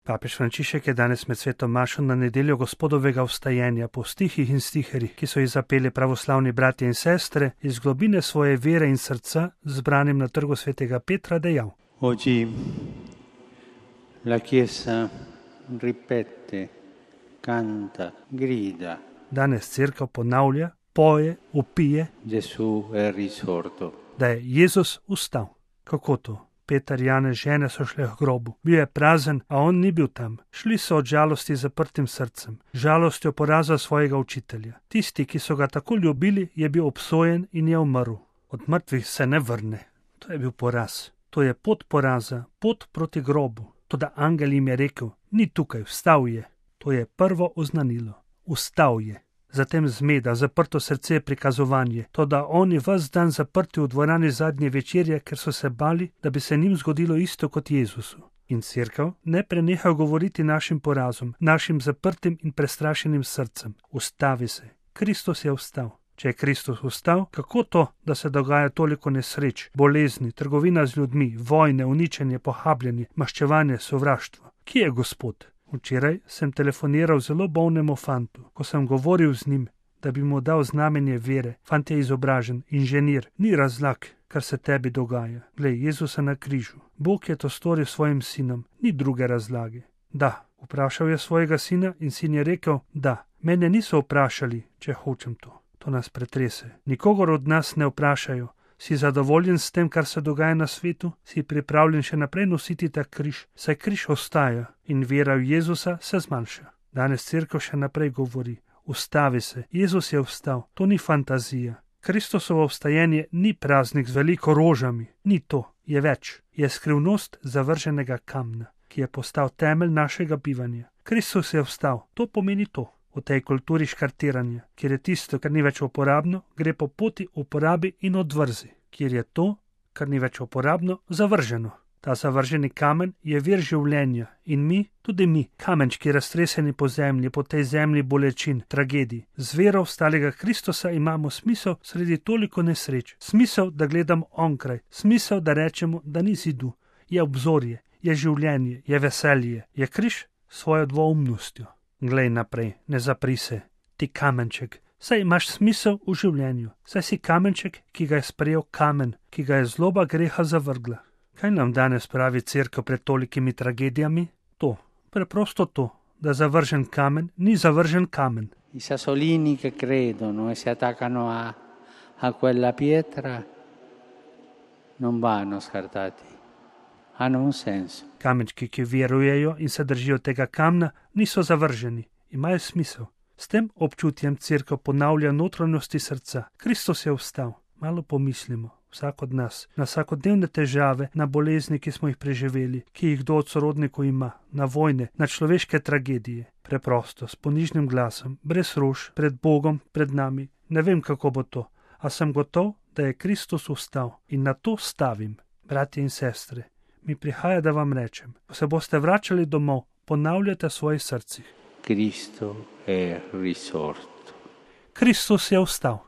Papež Frančišek je danes med sveto mašo na nedeljo Gospodovega vstajenja po stihih in stiherjih, ki so jih zapeli pravoslavni bratje in sestre, iz globine svoje vere in srca, zbranim na trgu svetega Petra, dejal: Oggi la Chiesa ripete, canta, grida. Danes cerkev ponavlja, poje, vpije, Gesù è risorto. da je Jezus vstal. Kako to? Peter, Janez, žene so šle k grobu. Bil je prazen, a on ni bil tam. Šli so od žalosti z zaprtim srcem, žalostjo poraza svojega učitelja. Tisti, ki so ga tako ljubili, je bil obsojen in je umrl. Od mrtvih se ne vrne. To je bil poraz. To je pot poraza, pot proti grobu. Toda angel jim je rekel: ni tukaj, vstal je. To je prvo oznanilo. Vstal je. Zatem zmeda, zaprto srce, prikazovanje, toda oni ves dan zaprti v dvorani zadnje večerje, ker so se bali, da bi se njim zgodilo isto kot Jezusu. In cerkev ne preneha govoriti našim porazom, našim zaprtim in prestrašenim srcem. Ustavi se. Kristus je vstal. Če je Kristus vstal, kako to, da se dogaja toliko nesreč, bolezni, trgovina z ljudmi, vojne, uničenje, pohabljanje, maščevanje, sovraštvo? Kje je Gospod? Včeraj sem telefoniral zelo bolnemu fantu. Ko sem govoril z njim, da bi mu dal znamenje vere, fant je izobražen, inženir, ni razlag, kar se tebi dogaja. Glej, Jezusa na križu. Bog je to storil svojim sinom, ni druge razlage. Da, vprašal je svojega sina in sin je rekel: da, mene niso vprašali, če hočem to. To nas pretrese. Nikogar od nas ne vprašajo: si zadovoljen s tem, kar se dogaja na svetu? Si pripravljen še naprej nositi ta križ? Saj križ ostaja in vera v Jezusa se zmanjša. Danes cerkev še naprej govori: ustavi se, Jezus je vstal, to ni fantazija. Kristusovo vstajenje ni praznik z veliko rožami, ni to, je več. Je skrivnost zavrženega kamna, ki je postal temelj našega bivanja. Kristus je vstal, to pomeni to. V tej kulturi škartiranja, kjer je tisto, kar ni več uporabno, gre po poti uporabi in odvrzi, kjer je to, kar ni več uporabno, zavrženo. Ta zavrženi kamen je vir življenja in mi, tudi mi, kamenčki raztreseni po zemlji, po tej zemlji bolečin, tragedij, z vero vstalega Kristusa imamo smisel sredi toliko nesreč, smisel, da gledamo onkraj, smisel, da rečemo, da ni zidu, je obzorje, je življenje, je veselje, je križ s svojo dvoumnostjo. Glej naprej, ne zapri se, ti kamenček, saj imaš smisel v življenju, saj si kamenček, ki ga je sprejel kamen, ki ga je zloba greha zavrgla. Kaj nam danes pravi cerkev pred tolikimi tragedijami? To, preprosto to, da zavržen kamen ni zavržen kamen. I sassolini che credono e si attaccano a quella pietra non vanno scartati, hanno un senso. Kamenčki, ki verujejo in se držijo tega kamna, niso zavrženi, imajo smisel. S tem občutjem cerkev ponavlja notranjosti srca. Kristus je vstal. Malo pomislimo, vsak od nas, na vsakodnevne težave, na bolezni, ki smo jih preživeli, ki jih kdo od sorodnikov ima, na vojne, na človeške tragedije. Preprosto, s ponižnim glasom, brez rož, pred Bogom, pred nami. Ne vem, kako bo to, a sem gotov, da je Kristus vstal in na to stavim. Bratje in sestre, mi prihaja, da vam rečem, ko se boste vračali domov, ponavljate v svojih srcih: Cristo è risorto. Kristus je vstal.